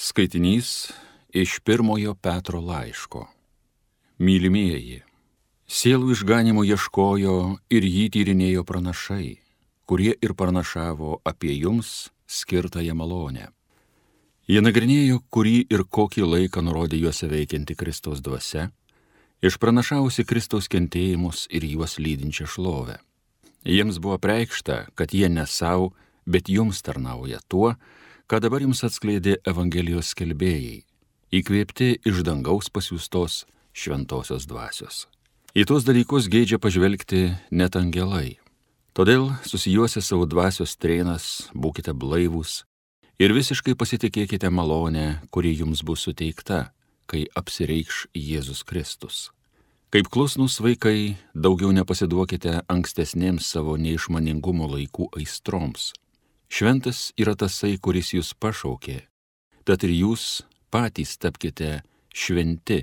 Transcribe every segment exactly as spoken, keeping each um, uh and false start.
Skaitinys iš pirmojo Petro laiško. Mylimieji, sielų išganimo ieškojo ir jį tyrinėjo pranašai, kurie ir pranašavo apie jums skirtąją malonę. Jie nagrinėjo, kurį ir kokį laiką nurodė juose veikianti Kristaus dvasia, išpranašavusi Kristaus kentėjimus ir juos lydinčią šlovę. Jiems buvo preikšta, kad jie ne savo, bet jums tarnauja tuo, ką dabar jums atskleidė Evangelijos skelbėjai, įkvėpti iš dangaus pasiųstos šventosios dvasios. Į tuos dalykus geidžia pažvelgti net angelai. Todėl susijuose savo dvasios trėnas, būkite blaivūs ir visiškai pasitikėkite malonę, kuri jums bus suteikta, kai apsireikš Jėzus Kristus. Kaip klusnūs vaikai, daugiau nepasiduokite ankstesnėms savo neišmaningumo laikų aistroms. Šventas yra tasai, kuris jūs pašaukė, tad ir jūs patys tapkite šventi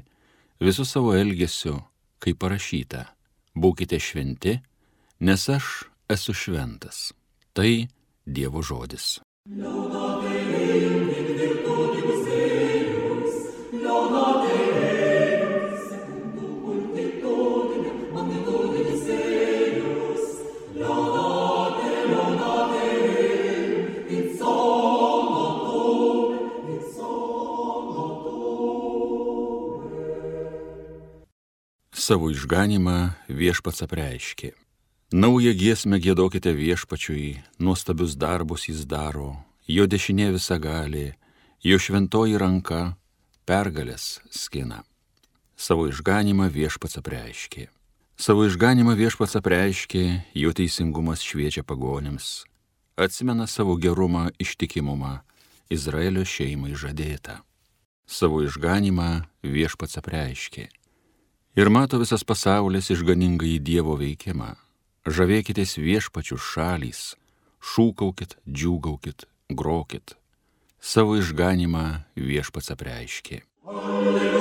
visų savo elgesiu, kaip parašyta. Būkite šventi, nes aš esu šventas. Tai Dievo žodis. Savo išganimą viešpats apreiškė. Naują giesmę giedokite viešpačiui, nuostabius darbus jis daro, jo dešinė visagalė, jo šventoji ranka pergalės skina. Savo išganimą viešpats apreiškė. Savo išganimą viešpats apreiškė, jo teisingumas šviečia pagonims, atsimena savo gerumą ištikimumą, Izraelio šeimai žadėtą. Savo išganimą viešpats apreiškė. Ir mato visas pasaulis išganingąjį Dievo veikimą. Žavėkitės viešpačių šalys, šūkaukit, džiūgaukit, grokit. Savo išganimą viešpats apreiškė. Alleluja,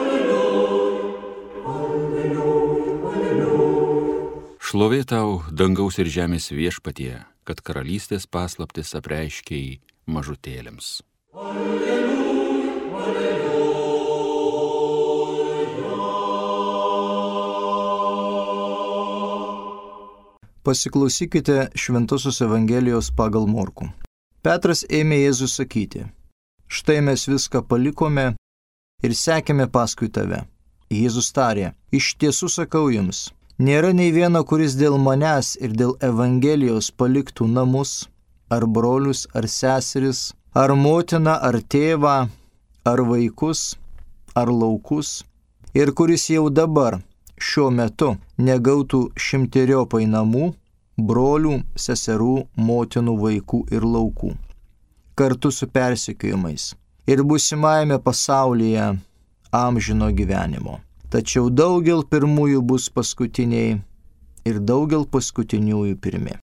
alleluja, alleluja, alleluja. Šlovė tau, dangaus ir žemės viešpatie, kad karalystės paslaptis apreiškei mažutėlėms. Alleluja, alleluja. Pasiklausykite Šventosios Evangelijos pagal Morkų. Petras ėmė Jėzų sakyti: štai mes viską palikome ir sekėme paskui tave. Jėzus tarė: iš tiesų sakau jums, nėra nei vieno, kuris dėl manęs ir dėl Evangelijos paliktų namus, ar brolius, ar seseris, ar motiną, ar tėvą, ar vaikus, ar laukus, ir kuris jau dabar šiuo metu negautų šimteriopai namų, brolių, seserų, motinų, vaikų ir laukų, kartu su persekiojimais ir būsimajame pasaulyje amžino gyvenimo. Tačiau daugel pirmųjų bus paskutiniai ir daugel paskutiniųjų pirmi.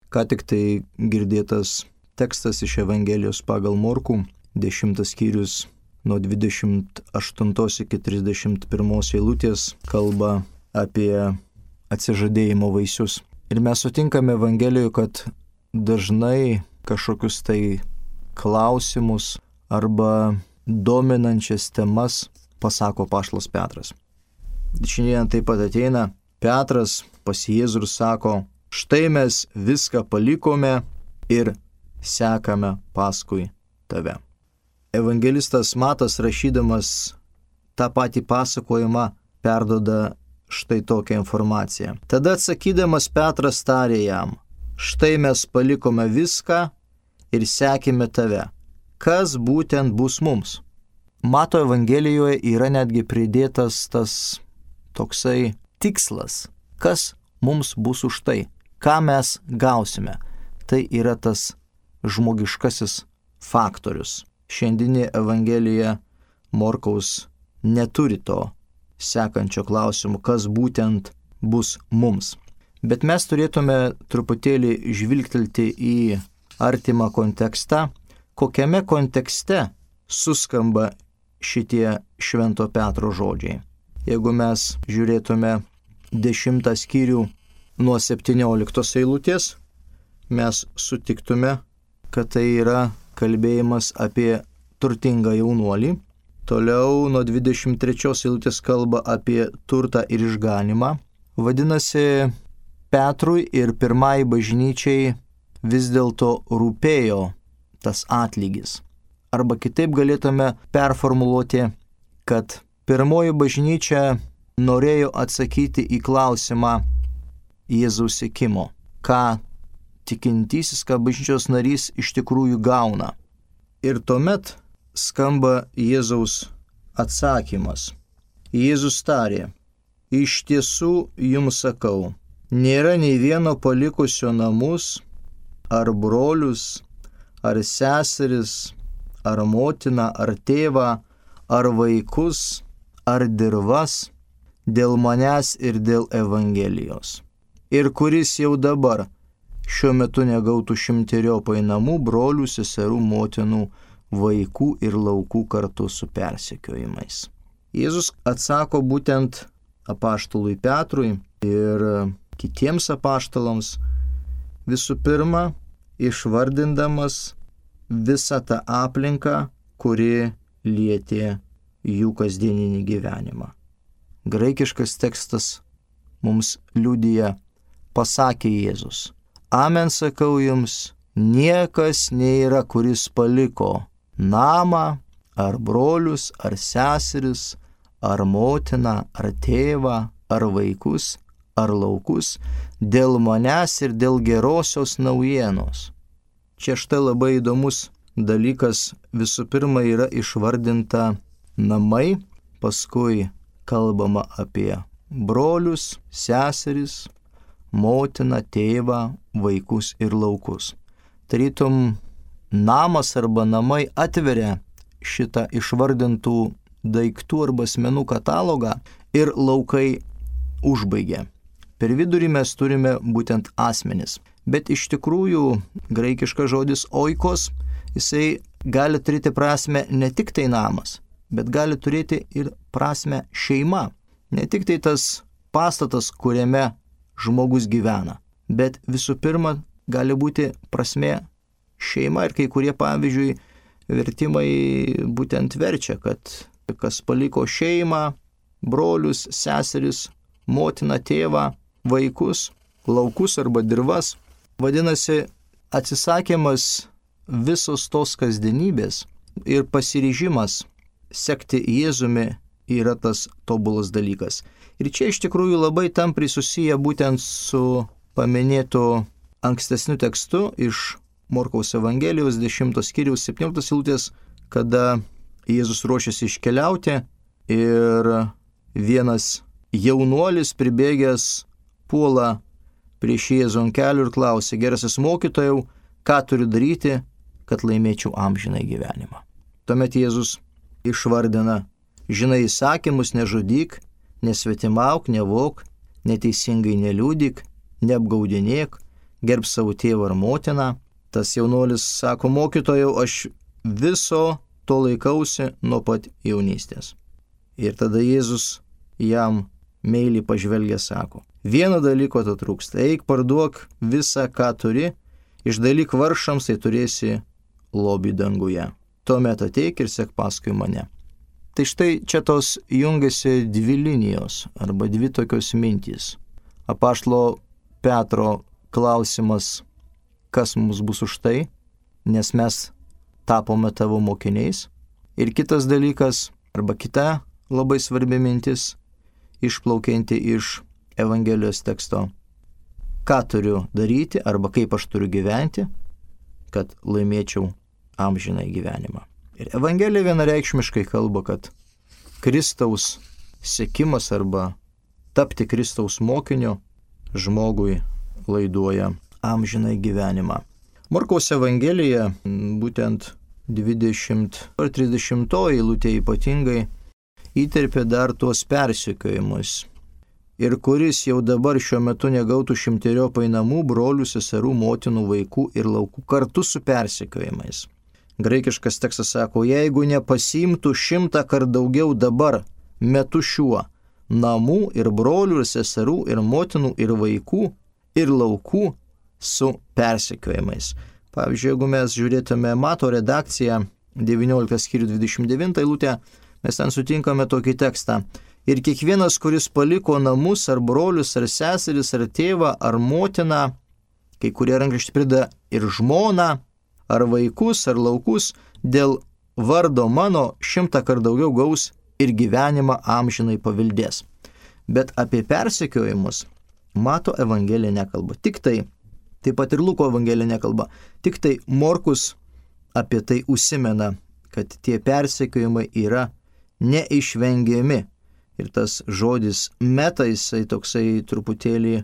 Ką tik tai girdėtas tekstas iš Evangelijos pagal Morkų, dešimtas skyrius nuo dvidešimt aštuntos iki trisdešimt pirmos eilutės kalba apie atsižadėjimo vaisius. Ir mes sutinkame Evangelijoje, kad dažnai kažkokius tai klausimus arba dominančias temas pasako apaštalas Petras. Šiandien taip pat ateina Petras pas Jėzų ir sako: štai mes viską palikome ir sekame paskui tave. Evangelistas Matas, rašydamas tą patį pasakojimą, perduoda štai tokią informaciją. Tada atsakydamas Petras tarė jam: štai mes palikome viską ir sekėme tave. Kas būtent bus mums? Mato Evangelijoje yra netgi pridėtas tas toksai tikslas. Kas mums bus už tai? Ką mes gausime? Tai yra tas žmogiškasis faktorius. Šiandieninė Evangelija Morkaus neturi to sekančio klausimo, kas būtent bus mums. Bet mes turėtume truputėlį žvilgtelti į artimą kontekstą, kokiame kontekste suskamba šitie Švento Petro žodžiai. Jeigu mes žiūrėtume dešimtą skyrių nuo septynioliktos eilutės, mes sutiktume, kad tai yra kalbėjimas apie turtingą jaunuolį. Toliau nuo dvidešimt trečios eilutės kalba apie turtą ir išganimą. Vadinasi, Petrui ir pirmai bažnyčiai vis dėlto rūpėjo tas atlygis. Arba kitaip galėtume performuluoti, kad pirmoji bažnyčia norėjo atsakyti į klausimą Jėzaus sekimo, ką tikintysis, ką bažnyčios narys iš tikrųjų gauna. Ir tuomet skamba Jėzaus atsakymas. Jėzus tarė, iš tiesų jums sakau, nėra nei vieno palikusio namus, ar brolius, ar seseris, ar motiną, ar tėvą, ar vaikus, ar dirvas, dėl manęs ir dėl Evangelijos. Ir kuris jau dabar šiuo metu negautų šimteriopai namų, brolių, seserų, motinų, vaikų ir laukų kartu su persekiojimais. Jėzus atsako būtent apaštalui Petrui ir kitiems apaštalams, visų pirma, išvardindamas visą tą aplinką, kuri lietė jų kasdieninį gyvenimą. Graikiškas tekstas mums liudija, pasakė Jėzus, amen sakau jums, niekas nėra, kuris paliko namą, ar brolius, ar seseris, ar motiną, ar tėvą, ar vaikus, ar laukus, dėl manęs ir dėl gerosios naujienos. Čia štai labai įdomus dalykas, visų pirma yra išvardinta namai, paskui kalbama apie brolius, seseris, motiną, tėvą, vaikus ir laukus. Tarytum namas arba namai atveria šitą išvardintų daiktų arba asmenų katalogą ir laukai užbaigia. Per vidurį mes turime būtent asmenis. Bet iš tikrųjų graikiškas žodis oikos, jisai gali turėti prasme ne tik tai namas, bet gali turėti ir prasme šeima. Ne tik tai tas pastatas, kuriame žmogus gyvena, bet visų pirma gali būti prasme šeima. Ir kai kurie, pavyzdžiui, vertimai būtent verčia, kad kas paliko šeimą, brolius, seseris, motiną, tėvą, vaikus, laukus arba dirvas. Vadinasi, atsisakymas visos tos kasdienybės ir pasiryžimas sekti Jėzumi yra tas tobulas dalykas. Ir čia iš tikrųjų labai tampriai susiję būtent su paminėtu ankstesniu tekstu iš Morkaus Evangelijos dešimtos skyriaus septynioliktos eilutės, kada Jėzus ruošiasi iškeliauti ir vienas jaunuolis pribėgęs puola prieš Jėzų ant kelių ir klausia, gerasis mokytojau, ką turiu daryti, kad laimėčiau amžinai gyvenimą. Tuomet Jėzus išvardina, žinai įsakymus, nežudyk, nesvetimauk, nevok, neteisingai neliūdyk, neapgaudinėk, gerb savo tėvą ar motiną. Tas jaunuolis sako, mokytojau, aš viso to laikausi nuo pat jaunystės. Ir tada Jėzus jam meiliai pažvelgia, sako, vieno dalyko to trūksta, eik parduok visą, ką turi, išdalyk vargšams, tai turėsi lobį danguje. Tuomet ateik ir sek paskui mane. Tai štai čia tos jungiasi dvi linijos arba dvi tokios mintys. Apaštalo Petro klausimas, kas mums bus už tai, nes mes tapome tavo mokiniais. Ir kitas dalykas, arba kita labai svarbi mintis, išplaukianti iš Evangelijos teksto. Ką turiu daryti arba kaip aš turiu gyventi, kad laimėčiau amžinai gyvenimą. Ir Evangelija vienareikšmiškai kalba, kad Kristaus sekimas arba tapti Kristaus mokiniu žmogui laiduoja amžinai gyvenimą. Morkaus Evangelija, būtent dvidešimt ar trisdešimtoji eilutė ypatingai, įterpė dar tuos persekiojimus. Ir kuris jau dabar šiuo metu negautų šimteriopai namų, brolių, seserų, motinų, vaikų ir laukų kartu su persekiojimais. Graikiškas tekstas sako, jeigu nepasiimtų šimtą kart daugiau dabar, metu šiuo, namų ir brolių ir seserų ir motinų ir vaikų ir laukų su persekiojimais. Pavyzdžiui, jeigu mes žiūrėtume Mato redakciją, devynioliktas skyrius dvidešimt devinta eilutė, mes ten sutinkame tokį tekstą. Ir kiekvienas, kuris paliko namus, ar brolius, ar seseris, ar tėvą, ar motiną, kai kurie rankraščiai prideda ir žmoną, ar vaikus, ar laukus, dėl vardo mano šimtą kart daugiau gaus ir gyvenimą amžinai paveldės. Bet apie persekiojimus Mato Evangelija nekalba. Tik tai, taip pat ir Luko Evangelija nekalba. Tik tai Morkus apie tai užsimena, kad tie persekiojimai yra neišvengiami. Ir tas žodis meta, jisai toksai truputėlį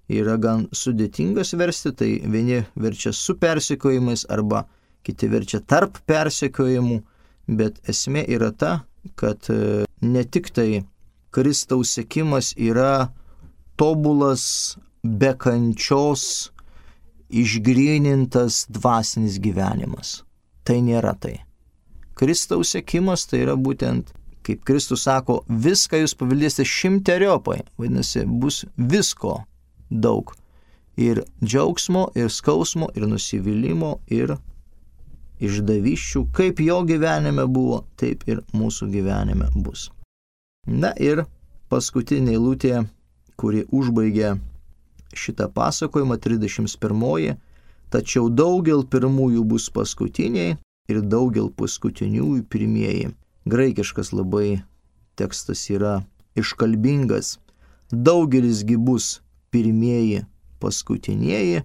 yra gan sudėtingas versti, tai vieni verčia su persekiojimais arba kiti verčia tarp persekiojimų, bet esmė yra ta, kad ne tik tai Kristaus sekimas yra tobulas, be kančios, išgrynintas dvasinis gyvenimas. Tai nėra tai. Kristaus sekimas tai yra būtent, kaip Kristus sako, viską jūs paveldėsite šimteriopai. Vadinasi, bus visko daug. Ir džiaugsmo, ir skausmo, ir nusivylimų, ir išdavysčių. Kaip jo gyvenime buvo, taip ir mūsų gyvenime bus. Na ir paskutinė eilutė, kuri užbaigė šitą pasakojimą, trisdešimt pirmoji. Tačiau daugel pirmųjų bus paskutiniai ir daugel paskutiniųjų pirmieji. Graikiškas labai tekstas yra iškalbingas. Daugelisgi bus pirmieji paskutinieji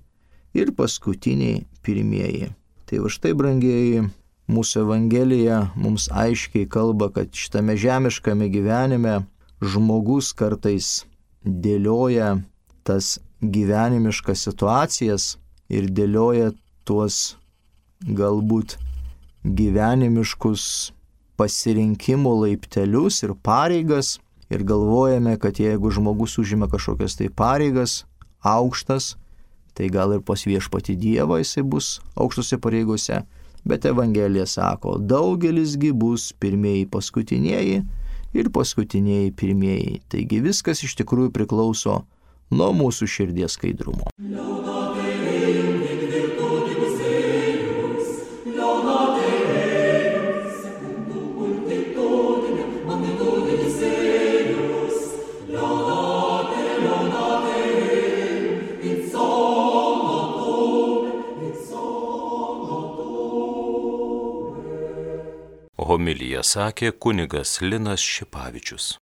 ir paskutiniai pirmieji. Tai va štai, brangieji, mūsų Evangelija mums aiškiai kalba, kad šitame žemiškame gyvenime žmogus kartais dėlioja tas gyvenimiškas situacijas ir dėlioja tuos galbūt gyvenimiškus pasirinkimo laiptelius ir pareigas ir galvojame, kad jeigu žmogus užima kažkokias tai pareigas aukštas, tai gal ir pas viešpatį Dievą jisai bus aukštose pareigose, bet Evangelija sako, daugelisgi bus pirmieji paskutinieji ir paskutinieji pirmieji. Taigi viskas iš tikrųjų priklauso nuo mūsų širdies skaidrumo. Homiliją sakė kunigas Linas Šipavičius.